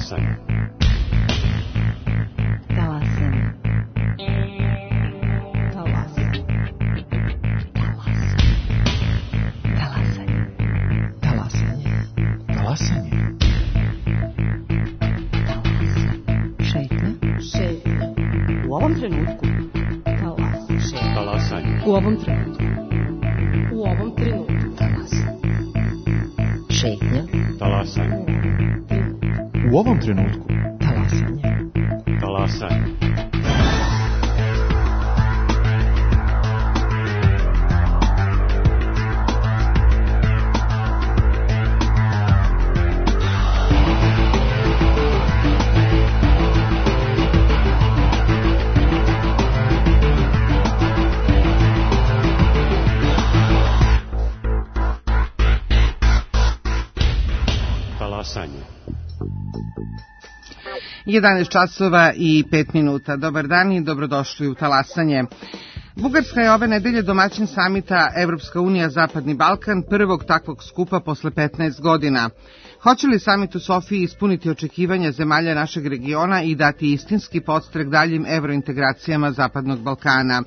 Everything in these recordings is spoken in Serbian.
Talasanje. Talasanje. Talasanje. Talasanje. Talasanje. Talasanje. Šetnja. Šetnja. U ovom trenutku. Talasanje. Talasanje. U ovom trenutku. U ovom trenutku. Talasanje. Šetnja. Talasanje. U ovom trenutku. Talasanje. Talasanje. Talasanje. 11 časova i 5 minuta. Dobar dan i dobrodošli u Talasanje. Bugarska je ove nedelje domaćin samita Evropska unija Zapadni Balkan, prvog takvog skupa posle 15 godina. Hoće li samit u Sofiji ispuniti očekivanja zemalja našeg regiona i dati istinski podstrek daljim evrointegracijama Zapadnog Balkana?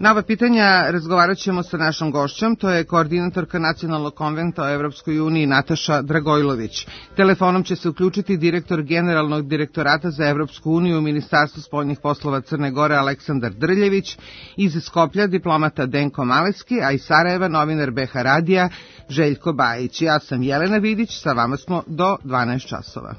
Na ova pitanja razgovarat ćemo sa našom gošćom, to je koordinatorka Nacionalnog konventa o Evropskoj uniji Nataša Dragojlović. Telefonom će se uključiti direktor Generalnog direktorata za Evropsku uniju u Ministarstvu spoljnih poslova Crne Gore Aleksandar Drljević, iz Skoplja diplomata Denko Maleski, a iz Sarajeva novinar BH Radija Željko Bajić. Ja sam Jelena Vidić, sa vama smo do 12 časova.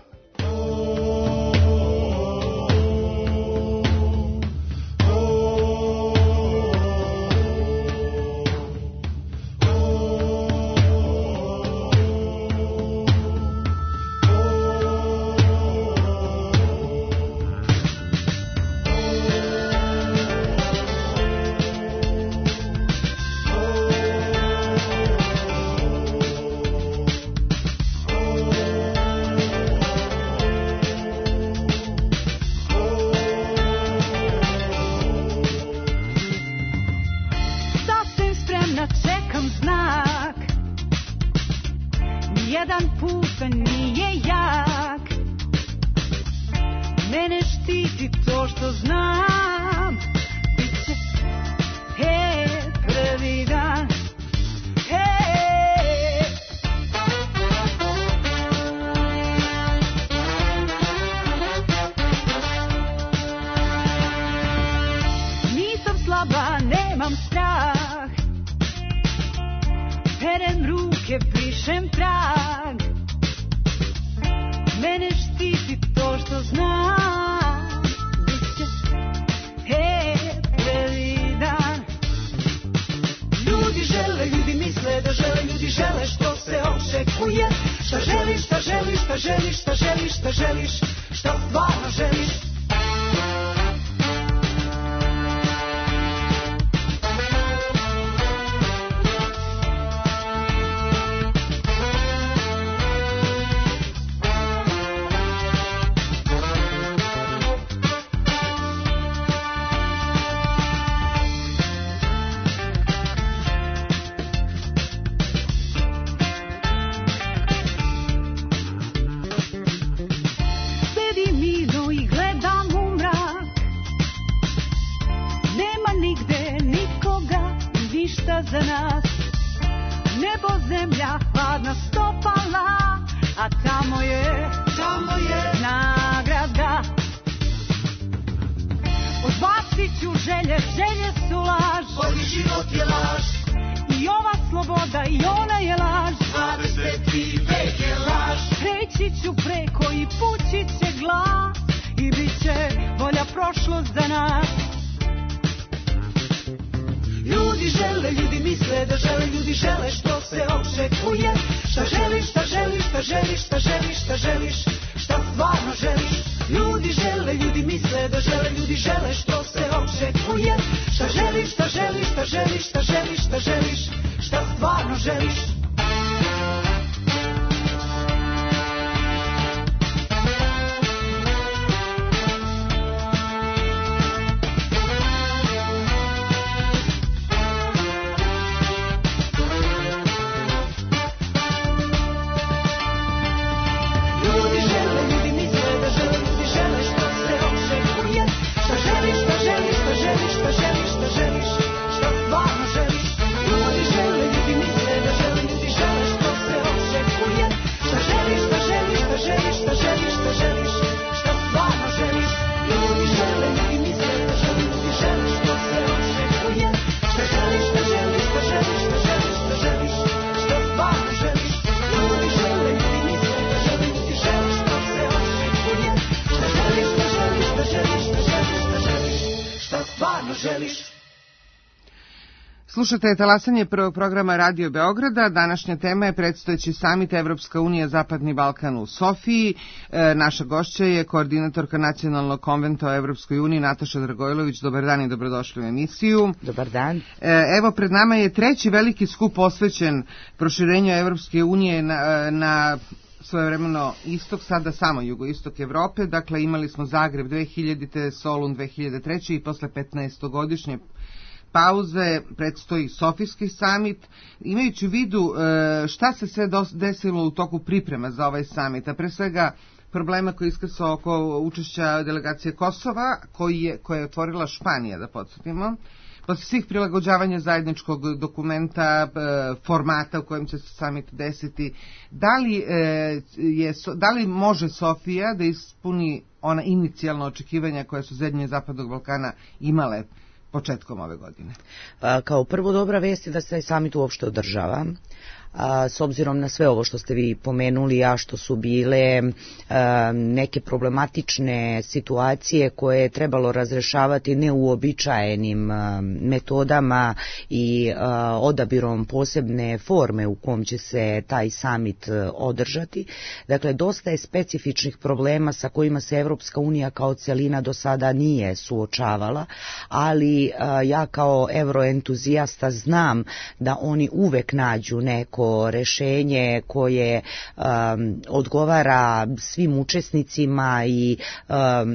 Slušate talasanje prvog programa Radio Beograda. Današnja tema je predstojeći samit Evropska unija Zapadni Balkan u Sofiji. Naša gošća je koordinatorka Nacionalnog konventa o Evropskoj uniji Nataša Dragojlović. Dobar dan i dobrodošli u emisiju. Dobar dan. Evo, pred nama je treći veliki skup posvećen proširenju Evropske unije na svojevremeno istok, sada samo jugoistok Evrope. Dakle, imali smo Zagreb 2000. Solun 2003. i posle 15-godišnje pauze predstoji Sofijski samit. Imajući u vidu šta se sve desilo u toku priprema za ovaj samit, a pre svega problema koji iskrsao oko učešća delegacije Kosova, koje je otvorila Španija, da podsjetimo, posle svih prilagođavanja zajedničkog dokumenta, formata u kojem će se samit desiti, da li može Sofija da ispuni ona inicijalna očekivanja koja su zemlje Zapadnog Balkana imale početkom ove godine? Kao prvo, dobra vest je da se taj samit uopšte održava. S obzirom na sve ovo što ste vi pomenuli, a što su bile neke problematične situacije koje je trebalo razrešavati neuobičajenim metodama i odabirom posebne forme u kom će se taj samit održati. Dakle, dosta je specifičnih problema sa kojima se Evropska unija kao celina do sada nije suočavala, ali ja kao evroentuzijasta znam da oni uvek nađu neko rešenje koje odgovara svim učesnicima i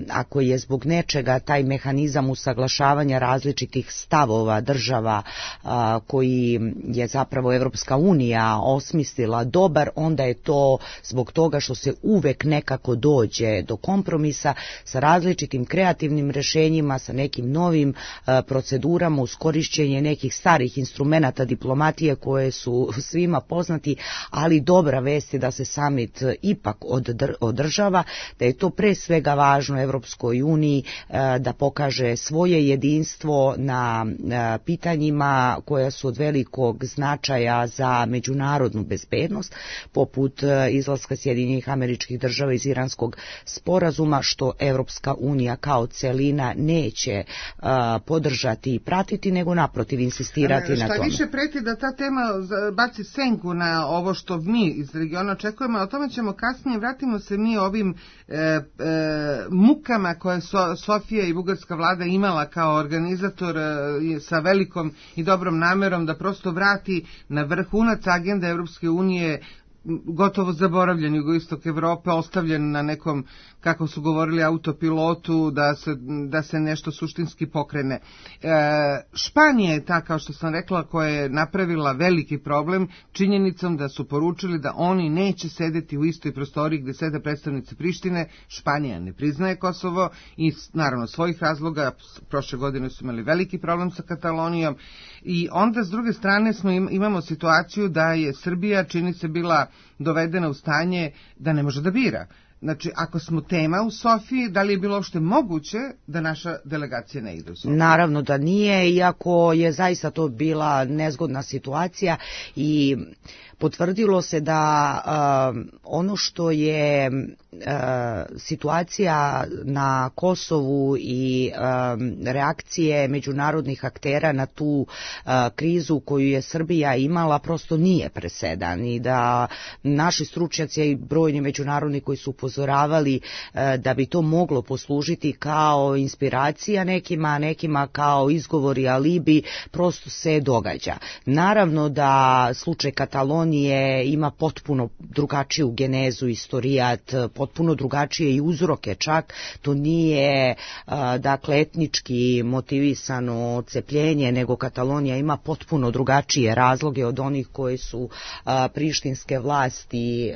ako je zbog nečega taj mehanizam usaglašavanja različitih stavova država koji je zapravo Evropska unija osmislila dobar, onda je to zbog toga što se uvek nekako dođe do kompromisa sa različitim kreativnim rešenjima, sa nekim novim procedurama uz korišćenje nekih starih instrumenata diplomatije koje su svima poznati, ali dobra vest je da se samit ipak održava, da je to pre svega važno Evropskoj uniji da pokaže svoje jedinstvo na pitanjima koja su od velikog značaja za međunarodnu bezbednost, poput izlaska Sjedinjenih Američkih Država iz Iranskog sporazuma, što Evropska unija kao celina neće podržati i pratiti, nego naprotiv insistirati na tome. Šta više preti da ta tema baci senku na ovo što mi iz regiona očekujemo, o tome ćemo kasnije. Vratimo se mi ovim mukama koje Sofija i bugarska vlada imala kao organizator sa velikom i dobrom namerom da prosto vrati na vrhunac agenda Evropske unije gotovo zaboravljen jugoistok Evrope, ostavljen na nekom, kako su govorili, autopilotu, da se nešto suštinski pokrene. Španija je ta, kao što sam rekla, koja je napravila veliki problem činjenicom da su poručili da oni neće sedeti u istoj prostoriji gde sede predstavnici Prištine. Španija ne priznaje Kosovo i naravno svojih razloga. Prošle godine su imali veliki problem sa Katalonijom i onda s druge strane imamo situaciju da je Srbija, čini se, bila dovedena u stanje da ne može da bira. Znači, ako smo tema u Sofiji, da li je bilo uopšte moguće da naša delegacija ne ide u Sofiju? Naravno da nije, iako je zaista to bila nezgodna situacija i potvrdilo se da ono što je situacija na Kosovu i reakcije međunarodnih aktera na tu krizu koju je Srbija imala prosto nije presedan i da naši stručnjaci i brojni međunarodni koji su upozoravali da bi to moglo poslužiti kao inspiracija nekima kao izgovor i alibi, prosto se događa. Naravno da slučaj Katalonije ima potpuno drugačiju genezu, istorijat, potpuno drugačije i uzroke čak. To nije dakle etnički motivisano cepljenje, nego Katalonija ima potpuno drugačije razloge od onih koje su prištinske vlasti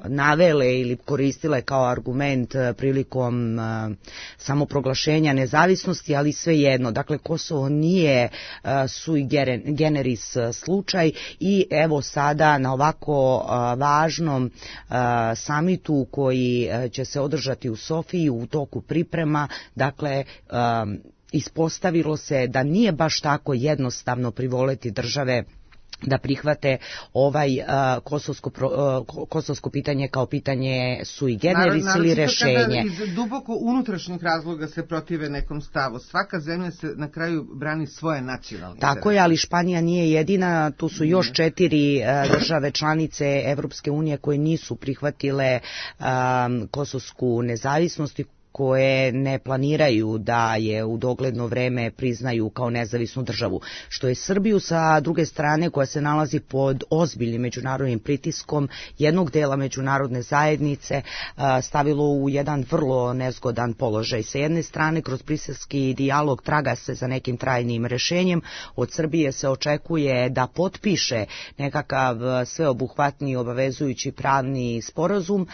navele ili koristile kao argument prilikom samoproglašenja nezavisnosti, ali svejedno. Dakle, Kosovo nije sui generis slučaj i evo sada na ovako važnom samitu koji će se održati u Sofiji u toku priprema, dakle ispostavilo se da nije baš tako jednostavno privoleti države da prihvate ovaj kosovsko pitanje kao pitanje sui generis ili rešenje. Kada iz duboko unutrašnjih razloga se protive nekom stavu. Svaka zemlja se na kraju brani svoje nacionalne interese. Tako je, ali Španija nije jedina, tu su još 4 države članice Evropske unije koje nisu prihvatile kosovsku nezavisnost i koje ne planiraju da je u dogledno vreme priznaju kao nezavisnu državu, što je Srbiju sa druge strane, koja se nalazi pod ozbiljnim međunarodnim pritiskom jednog dela međunarodne zajednice, stavilo u jedan vrlo nezgodan položaj. Sa jedne strane, kroz briselski dijalog traga se za nekim trajnim rešenjem, od Srbije se očekuje da potpiše nekakav sveobuhvatni obavezujući pravni sporazum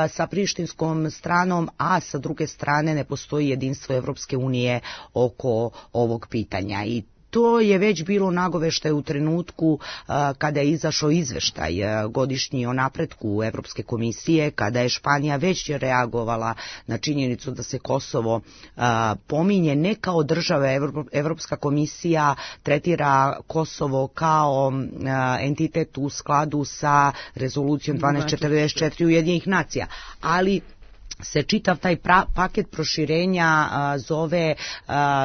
sa prištinskom stranom, a sa druge strane ne postoji jedinstvo Evropske unije oko ovog pitanja. I to je već bilo nagoveštaj u trenutku kada je izašao izveštaj godišnji o napretku Evropske komisije, kada je Španija već reagovala na činjenicu da se Kosovo pominje ne kao država. Evropska komisija tretira Kosovo kao entitet u skladu sa rezolucijom 1244 Ujedinjenih nacija, ali se čitav taj paket proširenja zove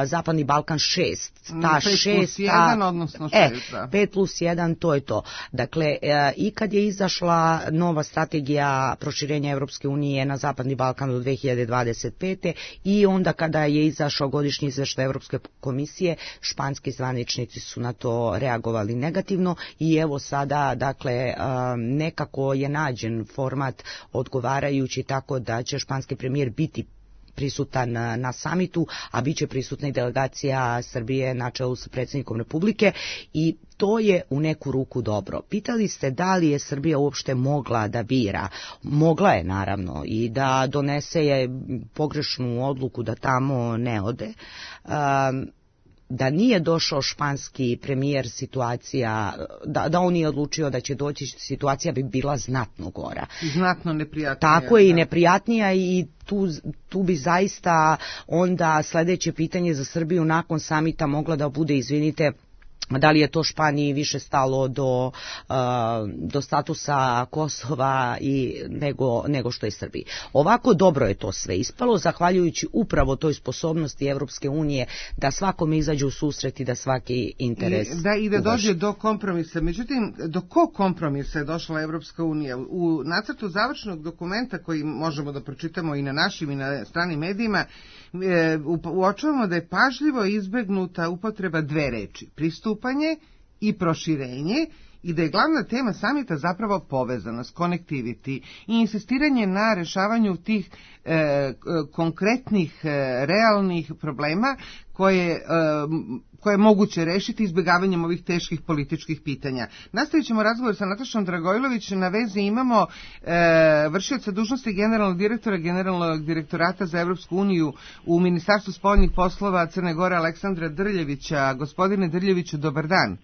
Zapadni Balkan 6. Ta 5+1, odnosno 6. 5+1, to je to. Dakle, i kad je izašla nova strategija proširenja Evropske unije na Zapadni Balkan do 2025. i onda kada je izašao godišnji izveštaj Evropske komisije, španski zvaničnici su na to reagovali negativno i evo sada, dakle, nekako je nađen format odgovarajući tako da će španski premijer biti prisutan na samitu, a bit će prisutna i delegacija Srbije na čelu sa predsjednikom Republike i to je u neku ruku dobro. Pitali ste da li je Srbija uopšte mogla da bira. Mogla je naravno i da donese je pogrešnu odluku da tamo ne ode. Da nije došao španski premijer, situacija, da on nije odlučio da će doći, situacija bi bila znatno gora. Znatno neprijatnija. Tako je, i neprijatnija i tu bi zaista onda sljedeće pitanje za Srbiju nakon samita mogla da bude, izvinite, da li je to Španiji više stalo do statusa Kosova nego što je Srbiji. Ovako dobro je to sve ispalo, zahvaljujući upravo toj sposobnosti Evropske unije da svakome izađe u susret i da svaki interes i da dođe do kompromisa. Međutim, do kog kompromisa je došla Evropska unija? U nacrtu završnog dokumenta koji možemo da pročitamo i na našim i na stranim medijima, uočavamo da je pažljivo izbegnuta upotreba 2 reči: pristupanje i proširenje, i da je glavna tema samita zapravo povezanost, connectivity i insistiranje na rešavanju tih konkretnih, realnih problema koje je moguće rešiti izbjegavanjem ovih teških političkih pitanja. Nastavit ćemo razgovor sa Natašom Dragojlović. Na vezi imamo vršioca dužnosti generalnog direktora Generalnog direktorata za Evropsku uniju u Ministarstvu spoljnih poslova Crne Gore, Aleksandra Drljevića. Gospodine Drljeviću, dobar dan.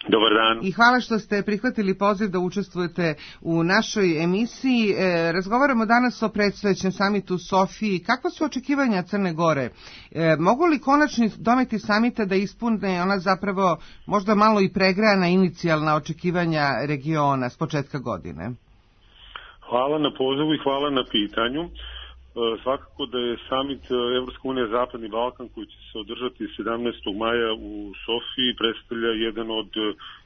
Dobar dan. I hvala što ste prihvatili poziv da učestvujete u našoj emisiji. Razgovaramo danas o predstojećem samitu u Sofiji. Kakva su očekivanja Crne Gore? Mogu li konačni dometi samita da ispune ona zapravo možda malo i pregrana inicijalna očekivanja regiona s početka godine? Hvala na pozivu i hvala na pitanju. Svakako da je samit Evropska unija Zapadni Balkan koji će se održati 17. maja u Sofiji predstavlja jedan od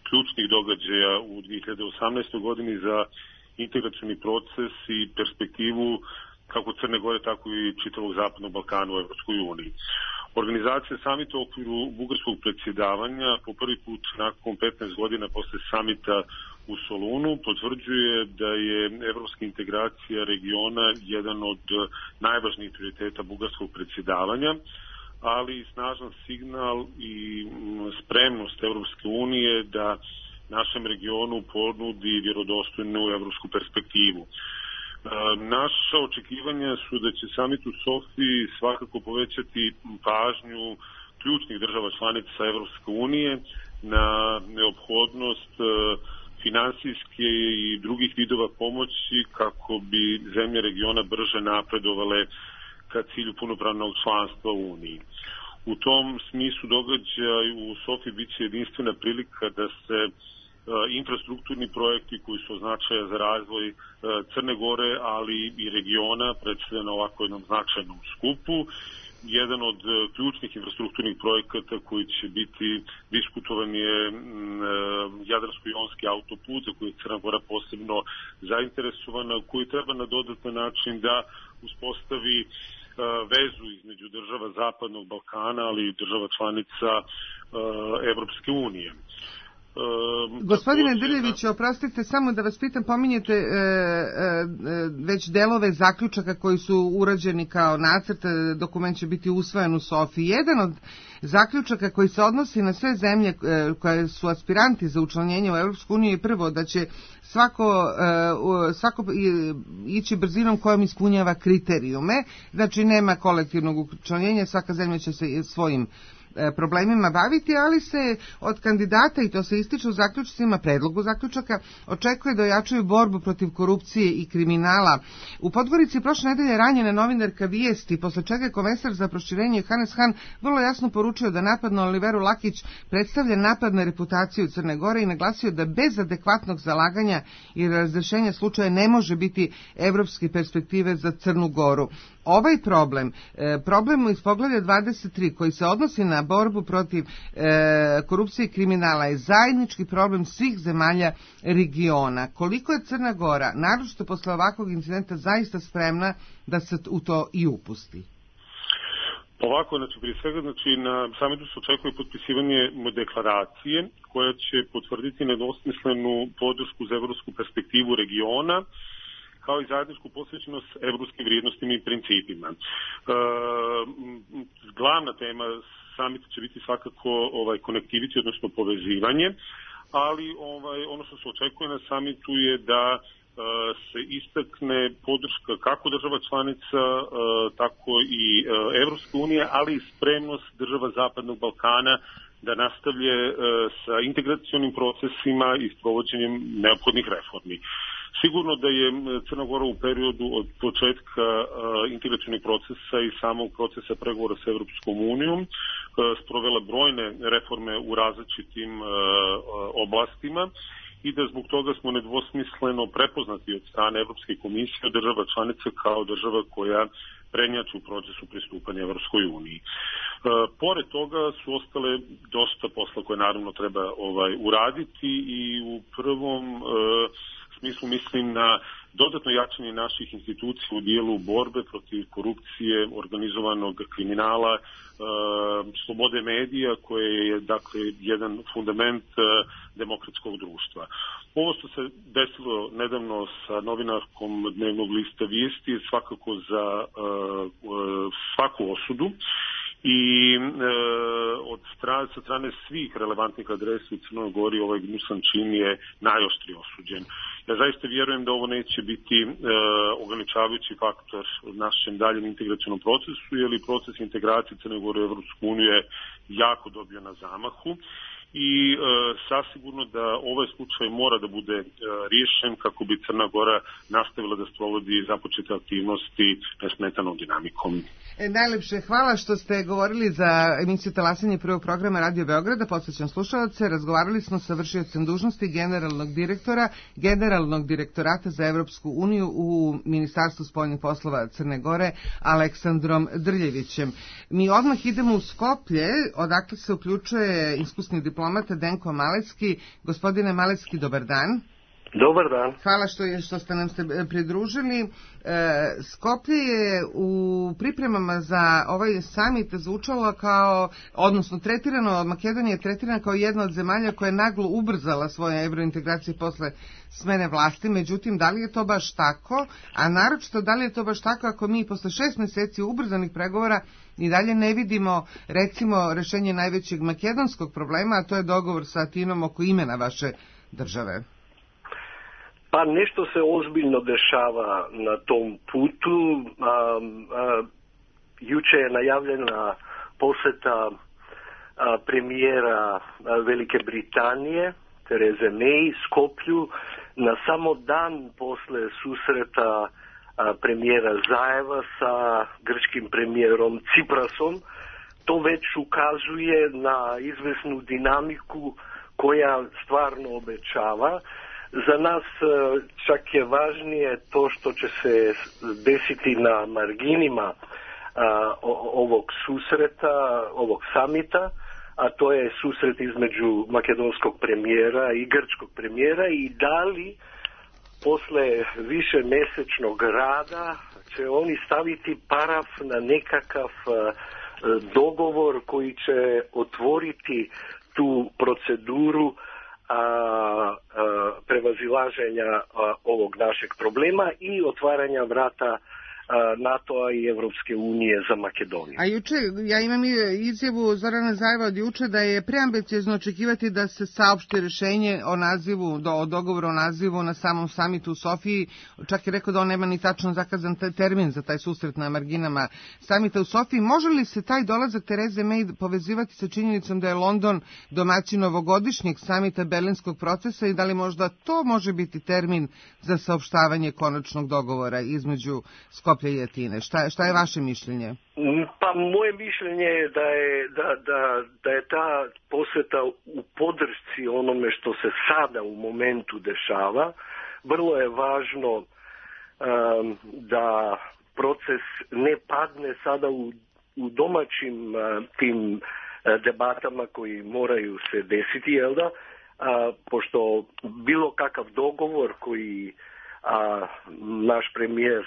ključnih događaja u 2018. godini za integracioni proces i perspektivu kako Crne Gore, tako i čitavog Zapadnog Balkana u Evropskoj uniji. Organizacija samita u okviru bugarskog predsjedavanja po prvi put nakon 15 godina posle samita u Solunu potvrđuje da je evropska integracija regiona jedan od najvažnijih prioriteta bugarskog predsjedavanja, ali i snažan signal i spremnost Evropske unije da našem regionu ponudi vjerodostojnu evropsku perspektivu. Naša očekivanja su da će samit u Sofiji svakako povećati pažnju ključnih država članica Evropske unije na neophodnost finansijske i drugih vidova pomoći kako bi zemlje regiona brže napredovale ka cilju punopravnog članstva u Uniji. U tom smislu događaj u Sofiji biće jedinstvena prilika da se infrastrukturni projekti koji su od značaja za razvoj Crne Gore, ali i regiona, predstavljena ovako jednom značajnom skupu. Jedan od ključnih infrastrukturnih projekata koji će biti diskutovan je Jadransko-jonski autoput, za koji je Crna Gora posebno zainteresovana, koji treba na dodatan način da uspostavi vezu između država Zapadnog Balkana, ali i država članica Evropske unije. Gospodine Drljević, oprostite, samo da vas pitam, pominjete već delove zaključaka koji su urađeni kao nacrt, dokument će biti usvojen u Sofiji. Jedan od zaključaka koji se odnosi na sve zemlje koje su aspiranti za učlanjenje u Evropsku uniju je prvo da će svako ići brzinom kojom ispunjava kriterijume, znači nema kolektivnog učlanjenja, svaka zemlja će se svojim problemima baviti, ali se od kandidata, i to se ističe u zaključcima, predlogu zaključaka, očekuje da ojačaju borbu protiv korupcije i kriminala. U Podgorici prošle nedelje ranjena novinarka Vijesti, posle čega je komesar za proširenje Hannes Hahn vrlo jasno poručio da napad na Oliveru Lakić predstavlja napad na reputaciju Crne Gore i naglasio da bez adekvatnog zalaganja i razrešenja slučaja ne može biti evropske perspektive za Crnu Goru. Ovaj problem iz poglavlja 23 koji se odnosi na borbu protiv korupcije i kriminala je zajednički problem svih zemalja regiona. Koliko je Crna Gora, naročito posle ovakvog incidenta, zaista spremna da se u to i upusti? Ovako, prije svega, na samitu se očekuje potpisivanje deklaracije koja će potvrditi nedvosmislenu podršku za evropsku perspektivu regiona, kao i zajedničku posvećenost evropskim vrijednostima i principima. Glavna tema samita će biti svakako konektiviti, odnosno povezivanje, ali ono što se očekuje na samitu je da se istakne podrška kako država članica, tako i Evropske unije, ali i spremnost država Zapadnog Balkana da nastavlje sa integracionim procesima i sprovođenjem neophodnih reformi. Sigurno da je Crna Gora u periodu od početka integracionih procesa i samog procesa pregovora sa Evropskom unijom sprovela brojne reforme u različitim oblastima i da zbog toga smo nedvosmisleno prepoznati od strane Evropske komisije od država članica kao država koja prednjači u procesu pristupanja Evropskoj uniji. Pored toga su ostale dosta posla koje naravno treba uraditi i u prvom smislu mislim na dodatno jačanje naših institucija u dijelu borbe protiv korupcije, organizovanog kriminala, slobode medija koje je dakle jedan fundament demokratskog društva. Ovo što se desilo nedavno sa novinarkom dnevnog lista Vijesti je svakako za svaku osudu i sa strane svih relevantnih adresa u Crnoj Gori ovaj gnusan čin je najoštrije osuđen. Ja zaista vjerujem da ovo neće biti ograničavajući faktor u našem daljem integracionom procesu, jer i proces integracije Crne Gore u Evropsku uniju je jako dobio na zamahu i sasigurno da ovaj slučaj mora da bude riješen kako bi Crna Gora nastavila da sprovodi započete aktivnosti nesmetanom dinamikom. Najlepše hvala što ste govorili za emisiju Talasanje prvog programa Radio Beograda. Podsećam slušalce, razgovarali smo sa vršiocem dužnosti Generalnog direktorata za Evropsku uniju u Ministarstvu spoljnih poslova Crne Gore, Aleksandrom Drljevićem. Mi odmah idemo u Skoplje, odakle se uključuje iskusni diplomata Denko Malecki. Gospodine Malecki, dobar dan. Dobar dan. Hvala što ste nam se pridružili. Skoplje je u pripremama za ovaj samit zvučalo kao, odnosno Makedonija je tretirana kao jedna od zemalja koja je naglo ubrzala svoje evrointegracije posle smene vlasti, međutim, da li je to baš tako, a naročito da li je to baš tako ako mi posle 6 meseci ubrzanih pregovora i dalje ne vidimo, recimo, rešenje najvećeg makedonskog problema, a to je dogovor sa Atinom oko imena vaše države? Pa nešto se ozbiljno dešava na tom putu. Juče je najavljena poseta premijera Velike Britanije, Tereze May, Skoplju, na samo dan posle susreta premijera Zajeva sa grčkim premijerom Ciprasom. To već ukazuje na izvesnu dinamiku koja stvarno obećava. Za nas čak je važnije to što će se desiti na marginima ovog susreta, ovog samita, a to je susret između makedonskog premijera i grčkog premijera, i da li posle višemesečnog rada će oni staviti paraf na nekakav dogovor koji će otvoriti tu proceduru prevazilaženja ovog našeg problema i otvaranja vrata NATO-a i Evropske unije za Makedoniju. A juče, ja imam izjavu Zorana Zajeva od juče da je preambiciozno očekivati da se saopšti rešenje o nazivu, o dogovoru o nazivu na samom samitu u Sofiji. Čak je rekao da on nema ni tačno zakazan termin za taj susret na marginama samita u Sofiji. Može li se taj dolazak Tereze May povezivati sa činjenicom da je London domaćin ovogodišnjeg samita Berlinskog procesa i da li možda to može biti termin za saopštavanje konačnog dogovora između Skoplja i Atine? Šta je vaše mišljenje? Pa moje mišljenje je da je ta posjeta u podršci onome što se sada u momentu dešava. Vrlo je važno da proces ne padne sada u domaćim tim debatama koji moraju se desiti, jel da? Pošto bilo kakav dogovor koji naš premijer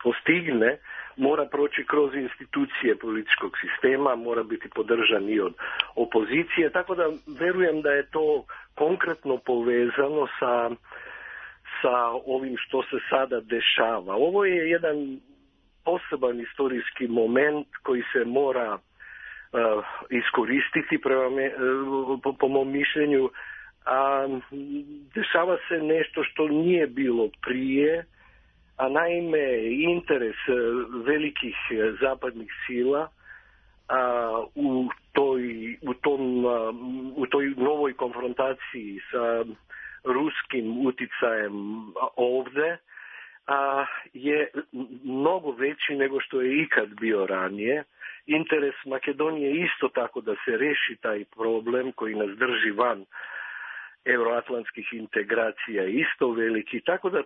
postigne, mora proći kroz institucije političkog sistema, mora biti podržan i od opozicije, tako da verujem da je to konkretno povezano sa ovim što se sada dešava. Ovo je jedan poseban istorijski moment koji se mora iskoristiti po mom mišljenju. Dešava se nešto što nije bilo prije, a naime interes velikih zapadnih sila u toj novoj konfrontaciji sa ruskim uticajem ovde je mnogo veći nego što je ikad bio ranije. Interes Makedonije isto tako da se reši taj problem koji nas drži van euroatlantskih integracija isto veliki, tako da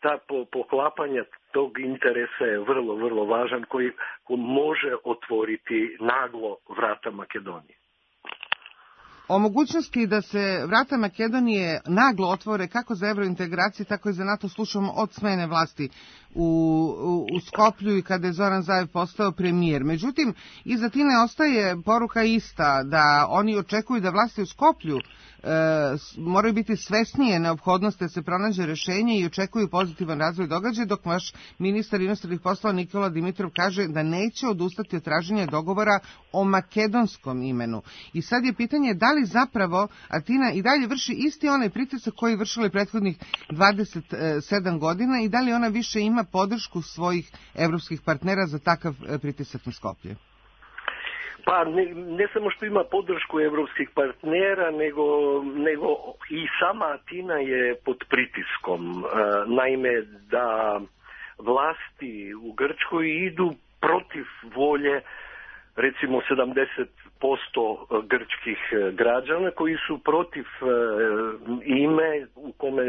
ta poklapanja tog interesa je vrlo, vrlo važan koji može otvoriti naglo vrata Makedonije. O mogućnosti da se vrata Makedonije naglo otvore kako za evrointegracije, tako i za NATO slušamo od smene vlasti u Skoplju i kada je Zoran Zaev postao premijer. Međutim, iz Atine ostaje poruka ista, da oni očekuju da vlasti u Skoplju moraju biti svesnije neophodnosti da se pronađe rešenje i očekuju pozitivan razvoj događaja, dok vaš ministar inostranih poslova Nikola Dimitrov kaže da neće odustati od traženja dogovora o makedonskom imenu. I sad je pitanje da li zapravo Atina i dalje vrši isti onaj pritisak koji je vršila prethodnih 27 godina i da li ona više ima podršku svojih evropskih partnera za takav pritisak na Skoplje? Pa ne samo što ima podršku evropskih partnera, nego i sama Atina je pod pritiskom. Naime, da vlasti u Grčkoj idu protiv volje recimo 70% grčkih građana koji su protiv ime u kome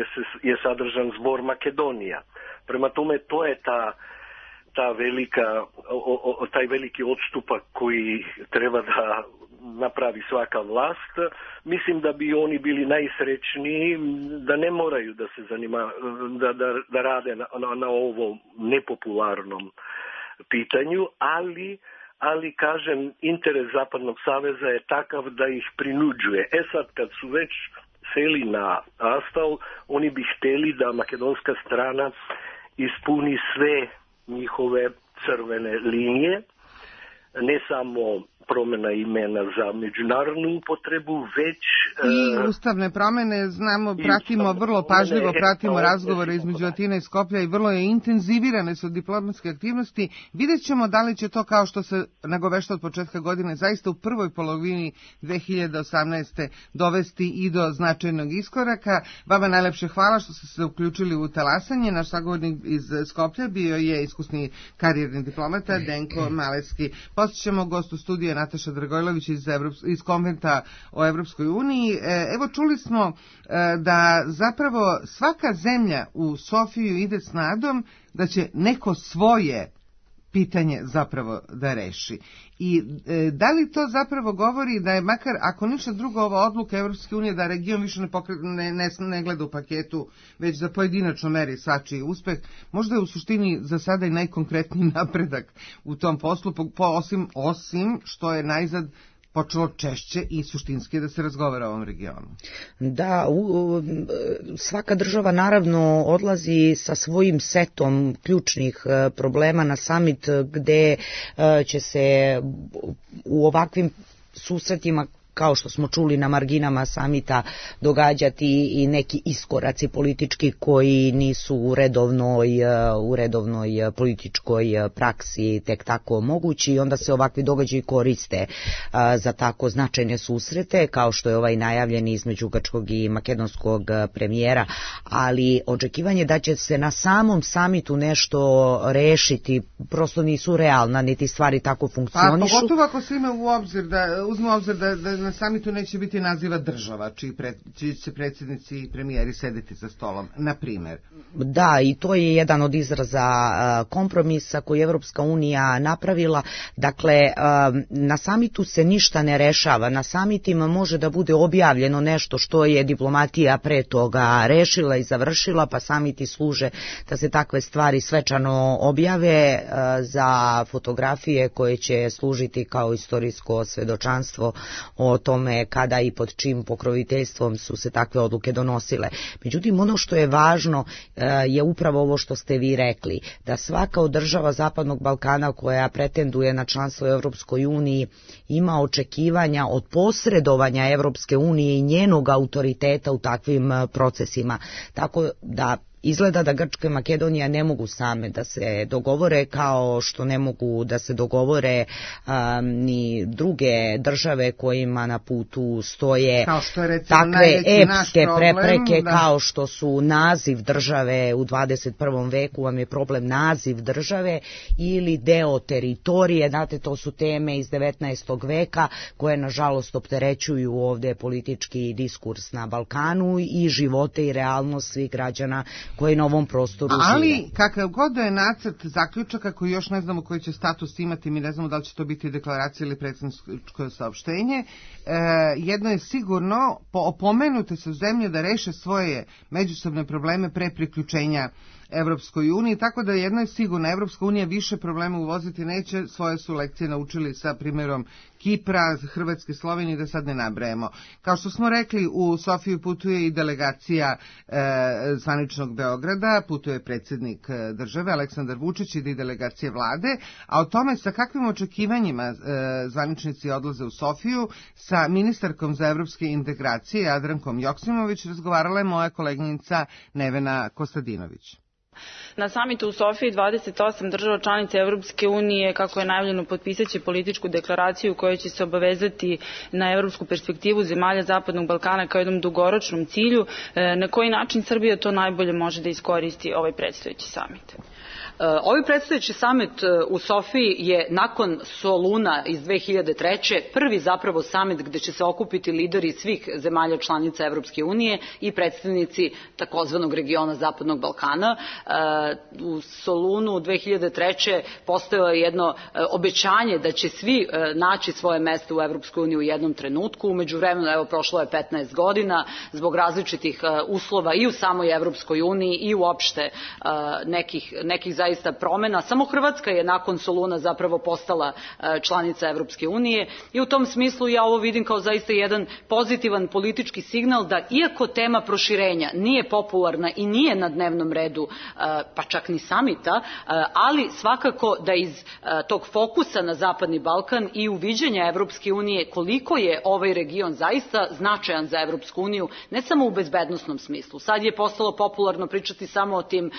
je sadržan zbor Makedonija. Prema tome, to je taj veliki odstupak koji treba da napravi svaka vlast. Mislim da bi oni bili najsrećniji da ne moraju da se da rade na ovom nepopularnom pitanju, ali kažem, interes Zapadnog saveza je takav da ih prinuđuje. Sad kad su već seli na Astal, oni bi hteli da makedonska strana ispuni sve njihove crvene linije, ne samo promjena imena za međunarodnu upotrebu, već i ustavne promjene. Znamo, vrlo pažljivo pratimo razgovore između Atine i Skoplja i vrlo je intenzivirane su diplomatske aktivnosti. Vidjet ćemo da li će to, kao što se nagovešta od početka godine, zaista u prvoj polovini 2018. dovesti i do značajnog iskoraka. Vama najlepše hvala što ste se uključili u talasanje. Naš sagovornik iz Skoplja bio je iskusni karijerni diplomata Denko Maleski. podsećamo, gost u studiju je Nataša Dragojlović iz Konventa o Evropskoj uniji. Evo, čuli smo da zapravo svaka zemlja u Sofiju ide s nadom da će neko svoje pitanje zapravo da reši. I da li to zapravo govori da je makar, ako ništa drugo, ova odluka Evropske unije da region više ne gleda u paketu, već da pojedinačno meri svačiji uspeh, možda je u suštini za sada i najkonkretniji napredak u tom poslu, osim što je najzad počelo češće i suštinski da se razgovara o ovom regionu. Da, svaka država naravno odlazi sa svojim setom ključnih problema na samit gde će se u ovakvim susretima, kao što smo čuli na marginama samita, događati i neki iskoraci politički koji nisu u redovnoj političkoj praksi tek tako mogući i onda se ovakvi događaji koriste za tako značajne susrete, kao što je ovaj najavljeni između grčkog i makedonskog premijera, ali očekivanje da će se na samom samitu nešto rešiti prosto nisu realna, niti stvari tako funkcionišu. Pa pogotovo ako se uzme u obzir da na samitu neće biti naziva država čiji će predsjednici i premijeri sedeti za stolom, na primjer. Da, i to je jedan od izraza kompromisa koji je Evropska unija napravila. Dakle, na samitu se ništa ne rešava. Na samitima može da bude objavljeno nešto što je diplomatija pre toga rešila i završila, pa samiti služe da se takve stvari svečano objave za fotografije koje će služiti kao istorijsko svedočanstvo o tome kada i pod čim pokroviteljstvom su se takve odluke donosile. Međutim, ono što je važno je upravo ovo što ste vi rekli, da svaka od država Zapadnog Balkana koja pretenduje na članstvo u Evropskoj uniji ima očekivanja od posredovanja Evropske unije i njenog autoriteta u takvim procesima. Tako da izgleda da Grčka i Makedonija ne mogu same da se dogovore, kao što ne mogu da se dogovore ni druge države kojima na putu stoje takve epske prepreke, kao što su naziv države u 21. veku, vam je problem naziv države ili deo teritorije. Znate, to su teme iz 19. veka koje nažalost opterećuju ovde politički diskurs na Balkanu i živote i realnost svih građana koji na ovom prostoru žive. Ali kakav god da je nacrt zaključaka koji još ne znamo koji će status imati, mi ne znamo da li će to biti deklaracija ili predsjedničko saopštenje, jedno je sigurno, opomenute su zemlje da reše svoje međusobne probleme pre priključenja Evropskoj uniji, tako da jedno je sigurno, Evropska unija više problema uvoziti neće, svoje su lekcije naučili sa primjerom Kipra, Hrvatske, Slovenije, da sad ne nabrajemo. Kao što smo rekli, u Sofiju putuje i delegacija zvaničnog Beograda, putuje predsjednik države Aleksandar Vučić i delegacije vlade, a o tome sa kakvim očekivanjima zvaničnici odlaze u Sofiju, sa ministarkom za evropske integracije Jadrankom Joksimović razgovarala je moja koleginica Nevena Kostadinović. Na samitu u Sofiji 28 država članica Evropske unije, kako je najavljeno, potpisaće političku deklaraciju koja će se obavezati na evropsku perspektivu zemalja Zapadnog Balkana kao jednom dugoročnom cilju. Na koji način Srbija to najbolje može da iskoristi ovaj predstojeći samit? Ovaj predstojeći samit u Sofiji je nakon Soluna iz 2003. prvi zapravo samit gde će se okupiti lideri svih zemalja članica Evropske unije i predstavnici takozvanog regiona Zapadnog Balkana. U Solunu 2003. postojalo je jedno obećanje da će svi naći svoje mesto u Evropskoj uniji u jednom trenutku. Umeđu vremenu, evo, prošlo je 15 godina zbog različitih uslova i u samoj Evropskoj uniji i uopšte nekih zaista promena. Samo Hrvatska je nakon Soluna zapravo postala članica Evropske unije i u tom smislu ja ovo vidim kao zaista jedan pozitivan politički signal da iako tema proširenja nije popularna i nije na dnevnom redu, pa čak ni samita, ali svakako da iz tog fokusa na Zapadni Balkan i uviđenja Evropske unije koliko je ovaj region zaista značajan za Evropsku uniju, ne samo u bezbednosnom smislu. Sad je postalo popularno pričati samo o tim,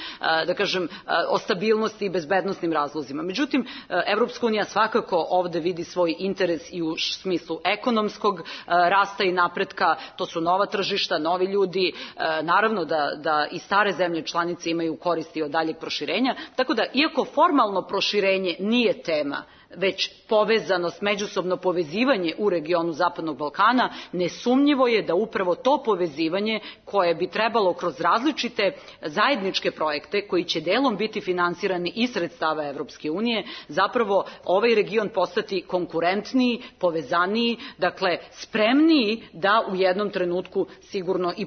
da kažem, o stabilnosti i bezbednosnim razlozima. Međutim, Evropska unija svakako ovde vidi svoj interes i u smislu ekonomskog rasta i napretka. To su nova tržišta, novi ljudi, naravno da i stare zemlje članice imaju koristi od daljeg proširenja, tako da iako formalno proširenje nije tema već povezanost, međusobno povezivanje u regionu Zapadnog Balkana, nesumnjivo je da upravo to povezivanje koje bi trebalo kroz različite zajedničke projekte koji će delom biti finansirani iz sredstava Evropske unije, zapravo ovaj region postati konkurentniji, povezaniji, dakle spremniji da u jednom trenutku sigurno i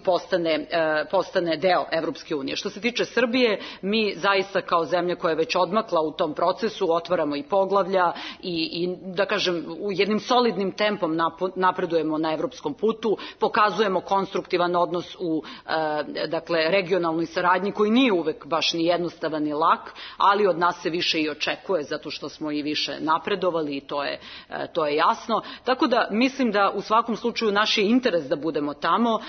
postane deo Evropske unije. Što se tiče Srbije, mi zaista kao zemlja koja je već odmakla u tom procesu otvaramo i poglavlja i da kažem u jednim solidnim tempom napredujemo na evropskom putu, pokazujemo konstruktivan odnos u dakle regionalnoj saradnji koji nije uvek baš ni jednostavan ni lak, ali od nas se više i očekuje zato što smo i više napredovali i to je jasno. Tako da mislim da u svakom slučaju naš je interes da budemo tamo,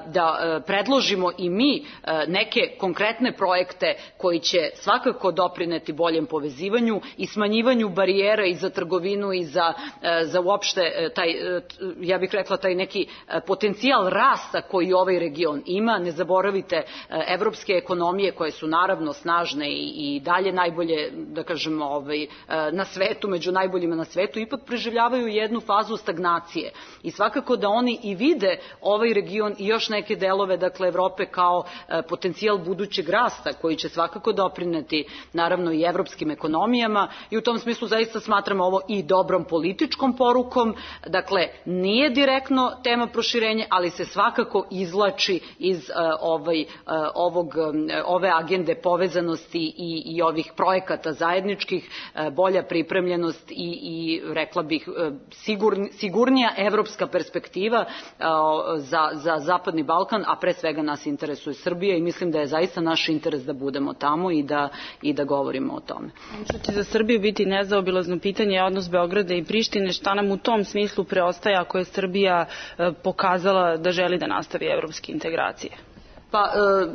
da predložimo i mi neke konkretne projekte koji će svakako doprineti boljem povezivanju i smanjivanju barijera i za trgovinu i za uopšte taj, ja bih rekla, taj neki potencijal rasta koji ovaj region ima. Ne zaboravite, evropske ekonomije koje su naravno snažne i dalje najbolje, da kažemo, na svetu, među najboljima na svetu, ipak preživljavaju jednu fazu stagnacije. I svakako da oni i vide ovaj region i još neke delove, dakle, Evrope kao potencijal budućeg rasta koji će svakako doprineti naravno i evropskim ekonomijama i u tom smislu zaista smatramo ovo i dobrom političkom porukom. Dakle, nije direktno tema proširenja, ali se svakako izvlači iz ove agende povezanosti i ovih projekata zajedničkih, bolja pripremljenost i rekla bih sigurnija evropska perspektiva za Zapadni Balkan, a pre svega nas interesuje Srbija i mislim da je zaista naš interes da budemo tamo i da govorimo o tome. Što će za Srbiju biti nezaobilazno pitanje je odnos Beograda i Prištine. Šta nam u tom smislu preostaje ako je Srbija pokazala da želi da nastavi evropske integracije? Pa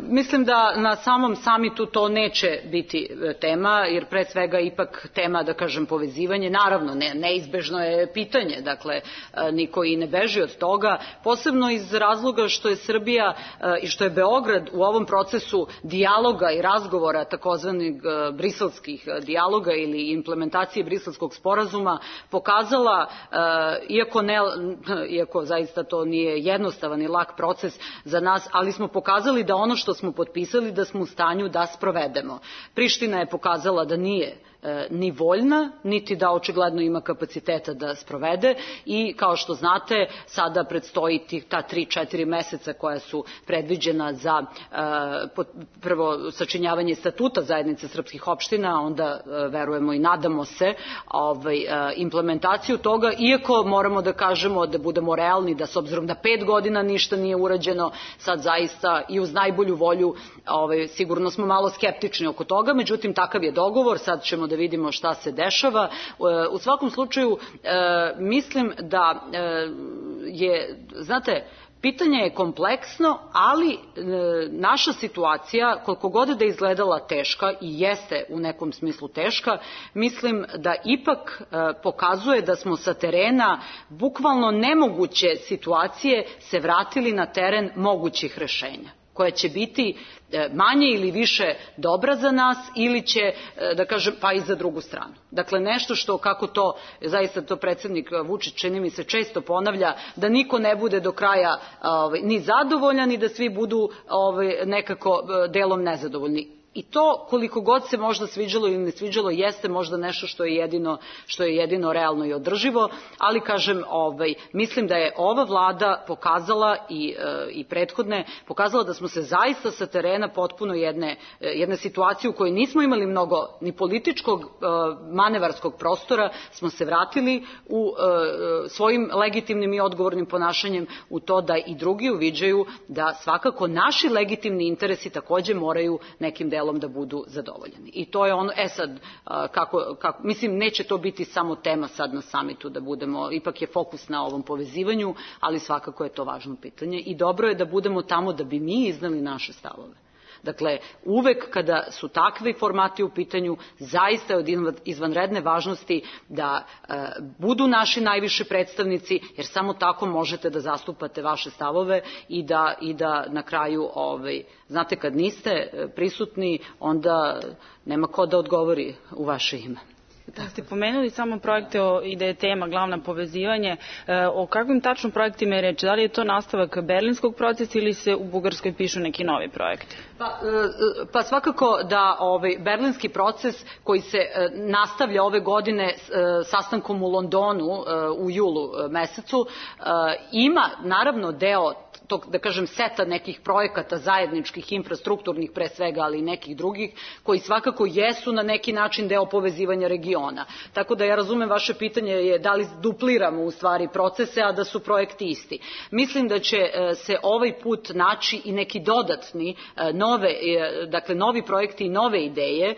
mislim da na samom samitu to neće biti tema, jer pre svega ipak tema, da kažem, povezivanje, naravno neizbežno je pitanje, dakle niko i ne beži od toga, posebno iz razloga što je Srbija i što je Beograd u ovom procesu dijaloga i razgovora, takozvanih briselskih dijaloga ili implementacije briselskog sporazuma, pokazala, iako zaista to nije jednostavan i lak proces za nas, ali smo pokazali da ono što smo potpisali da smo u stanju da sprovedemo. Priština je pokazala da nije ni voljna, niti da očigledno ima kapaciteta da sprovede i kao što znate sada predstoji ta 3-4 meseca koja su predviđena za prvo sačinjavanje statuta zajednice srpskih opština, onda verujemo i nadamo se implementaciju toga, iako moramo da kažemo, da budemo realni, da s obzirom da 5 godina ništa nije urađeno, sad zaista i uz najbolju volju sigurno smo malo skeptični oko toga, međutim takav je dogovor, sad ćemo da vidimo šta se dešava. U svakom slučaju mislim da je, znate, pitanje je kompleksno, ali naša situacija, koliko god da je izgledala teška i jeste u nekom smislu teška, mislim da ipak pokazuje da smo sa terena bukvalno nemoguće situacije se vratili na teren mogućih rešenja, koja će biti manje ili više dobra za nas ili će, da kažem, pa i za drugu stranu. Dakle, nešto što, kako to, zaista to predsjednik Vučić, čini mi se, često ponavlja, da niko ne bude do kraja ni zadovoljan i da svi budu nekako delom nezadovoljni. I to, koliko god se možda sviđalo ili ne sviđalo, jeste možda nešto što je jedino realno i održivo, ali kažem, mislim da je ova vlada pokazala i prethodne, pokazala da smo se zaista sa terena potpuno jedne situacije u kojoj nismo imali mnogo ni političkog manevarskog prostora, smo se vratili u svojim legitimnim i odgovornim ponašanjem u to da i drugi uviđaju da svakako naši legitimni interesi takođe moraju nekim delom da budu zadovoljeni. I to je ono, sad, mislim, neće to biti samo tema sad na samitu, da budemo, ipak je fokus na ovom povezivanju, ali svakako je to važno pitanje i dobro je da budemo tamo da bi mi iznali naše stavove. Dakle, uvek kada su takvi formati u pitanju, zaista je od izvanredne važnosti da budu naši najviši predstavnici, jer samo tako možete da zastupate vaše stavove i da na kraju, znate, kad niste prisutni, onda nema ko da odgovori u vaše ime. Da ste pomenuli samo projekte i da je tema glavna povezivanje, o kakvim tačno projektima je reč? Da li je to nastavak berlinskog procesa ili se u Bugarskoj pišu neki novi projekti? Pa svakako da berlinski proces koji se nastavlja ove godine sastankom u Londonu u julu mesecu ima naravno deo tog, da kažem, seta nekih projekata zajedničkih, infrastrukturnih pre svega, ali i nekih drugih, koji svakako jesu na neki način deo povezivanja regiona. Tako da ja razumem vaše pitanje je da li dupliramo u stvari procese, a da su projekti isti. Mislim da će se ovaj put naći i neki dodatni, novi projekti i nove ideje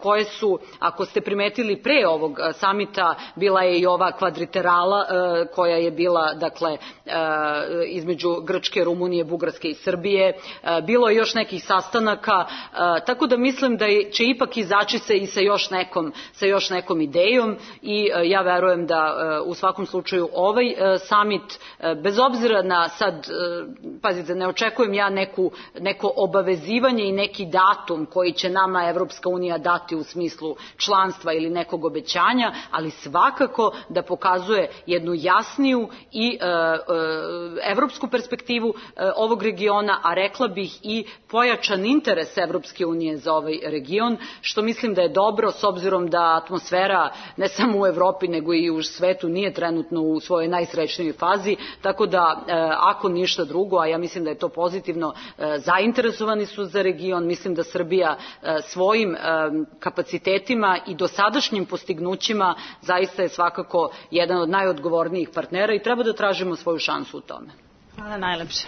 koje su, ako ste primetili pre ovog samita, bila je i ova kvadriterala koja je bila, dakle, između Grčke, Rumunije, Bugarske i Srbije. Bilo je još nekih sastanaka, tako da mislim da će ipak izaći se i sa još nekom idejom i ja verujem da u svakom slučaju ovaj samit, bez obzira na sad, pazite, ne očekujem ja neko obavezivanje i neki datum koji će nama Evropska unija dati u smislu članstva ili nekog obećanja, ali svakako da pokazuje jednu jasniju i evropsku perspektivu ovog regiona, a rekla bih i pojačan interes Evropske unije za ovaj region, što mislim da je dobro s obzirom da atmosfera ne samo u Evropi nego i u svetu nije trenutno u svojoj najsrećnijoj fazi, tako da ako ništa drugo, a ja mislim da je to pozitivno, zainteresovani su za region. Mislim da Srbija svojim kapacitetima i dosadašnjim postignućima zaista je svakako jedan od najodgovornijih partnera i treba da tražimo svoju šansu u tome. Hvala najlepše.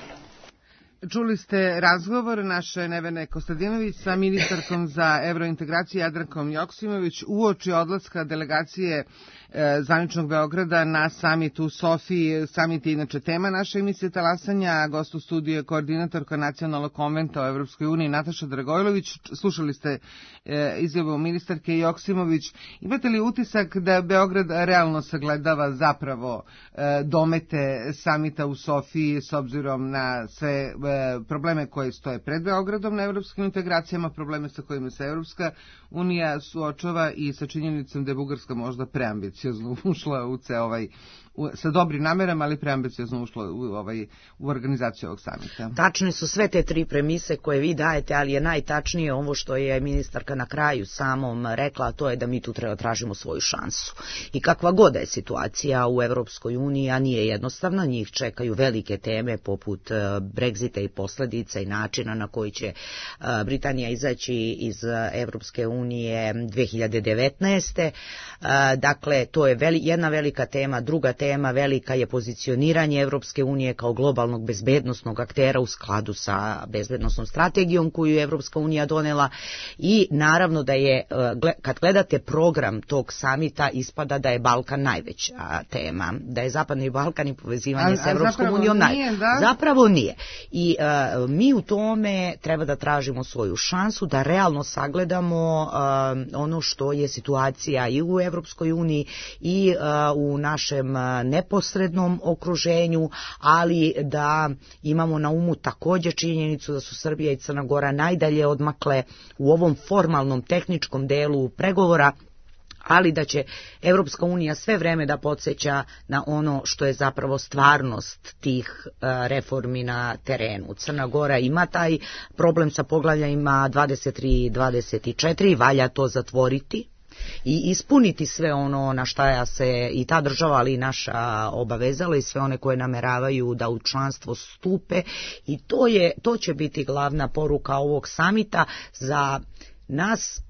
Čuli ste razgovor naše Nevene Kostadinović sa ministarkom za evrointegracije Jadrankom Joksimović uoči odlaska delegacije zvaničnog Beograda na samit u Sofiji. Samit je inače tema naše emisije Talasanja, a gost u studiju je koordinatorka Nacionalnog konventa o Evropskoj uniji Nataša Dragojlović. Slušali ste izjavu ministarke Joksimović. Imate li utisak da Beograd realno sagledava zapravo domete samita u Sofiji s obzirom na sve probleme koje stoje pred Beogradom na evropskim integracijama, probleme sa kojima se Evropska unija suočava i sa činjenicom da je Bugarska možda preambiciozno ušla u sa dobrim namerama, ali preambiciozno ušla u organizaciju ovog samita. Tačne su sve te tri premise koje vi dajete, ali je najtačnije ovo što je ministarka na kraju samom rekla, a to je da mi tu treba tražimo svoju šansu. I kakva god da je situacija u Evropskoj uniji, a nije jednostavna, njih čekaju velike teme poput Brexita i posljedica i načina na koji će Britanija izaći iz Evropske unije 2019. Dakle, to je jedna velika tema. Druga tema velika je pozicioniranje Evropske unije kao globalnog bezbednosnog aktera u skladu sa bezbednosnom strategijom koju je Evropska unija donela i naravno da je, kad gledate program tog samita, ispada da je Balkan najveća tema, da je Zapadni Balkan i povezivanje s Evropskom unijom zapravo nije. I mi u tome treba da tražimo svoju šansu, da realno sagledamo ono što je situacija i u Evropskoj uniji i u našem neposrednom okruženju, ali da imamo na umu također činjenicu da su Srbija i Crna Gora najdalje odmakle u ovom formalnom tehničkom delu pregovora, ali da će Evropska unija sve vreme da podsjeća na ono što je zapravo stvarnost tih reformi na terenu. Crna Gora ima taj problem sa poglavljajima 23 i 24, valja to zatvoriti i ispuniti sve ono na šta se i ta država, ali i naša obavezala i sve one koje nameravaju da u članstvo stupe, i to će biti glavna poruka ovog samita. Za nas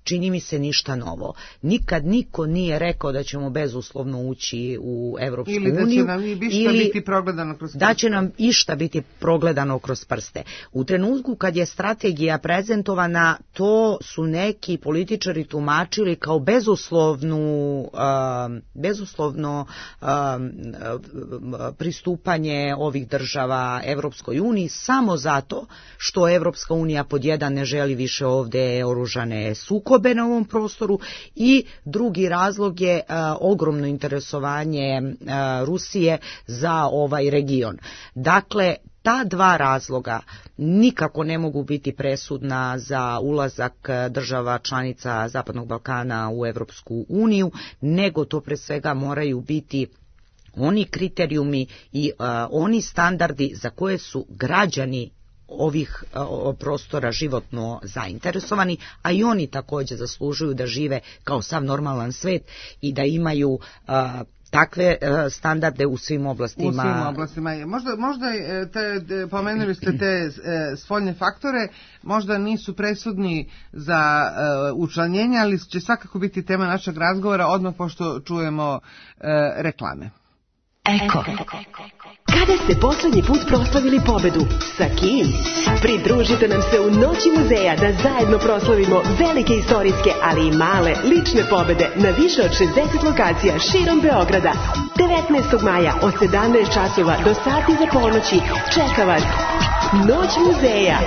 čini mi se ništa novo. Nikad niko nije rekao da ćemo bezuslovno ući u Evropsku uniju da će nam išta biti progledano kroz prste. U trenutku kad je strategija prezentovana, to su neki političari tumačili kao bezuslovno pristupanje ovih država Evropskoj uniji samo zato što Evropska unija pod jedan ne želi više ovde oružane sukobe na ovom prostoru, i drugi razlog je ogromno interesovanje Rusije za ovaj region. Dakle, Ta dva razloga nikako ne mogu biti presudna za ulazak država članica Zapadnog Balkana u Evropsku uniju, nego to pre svega moraju biti oni kriterijumi i oni standardi za koje su građani ovih prostora životno zainteresovani, a i oni također zaslužuju da žive kao sav normalan svet i da imaju takve standarde u svim oblastima. U svim oblastima. Možda pomenuli ste te spoljne faktore, možda nisu presudni za učlanjenje, ali će svakako biti tema našeg razgovora odmah pošto čujemo reklame. Eko. Kada ste poslednji put proslavili pobedu? Sa kim? Pridružite nam se u Noći muzeja da zajedno proslavimo velike istorijske, ali i male lične pobede na više od 60 lokacija širom Beograda. 19. maja od 17 časova do sati za ponoći čeka vas Noć muzeja.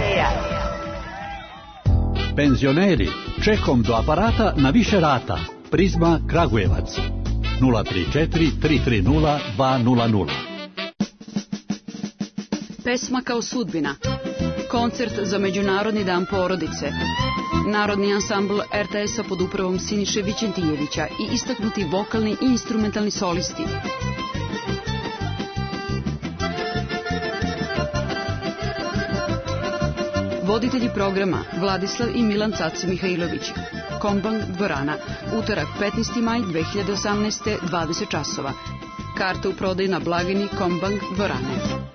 Penzioneri, čekom do aparata na više rata. Prizma Kragujevac. 034 330 200. Pesma kao sudbina. Koncert za Međunarodni dan porodice. Narodni ansambl RTS-a pod upravom Siniše Vićentijevića i istaknuti vokalni i instrumentalni solisti. Voditelji programa Vladislav i Milan Caco Mihajlović. Kombang dvorana. Utorak 15. maj 2018. 20 časova. Karte u prodaju na blagajni Kombang dvorane.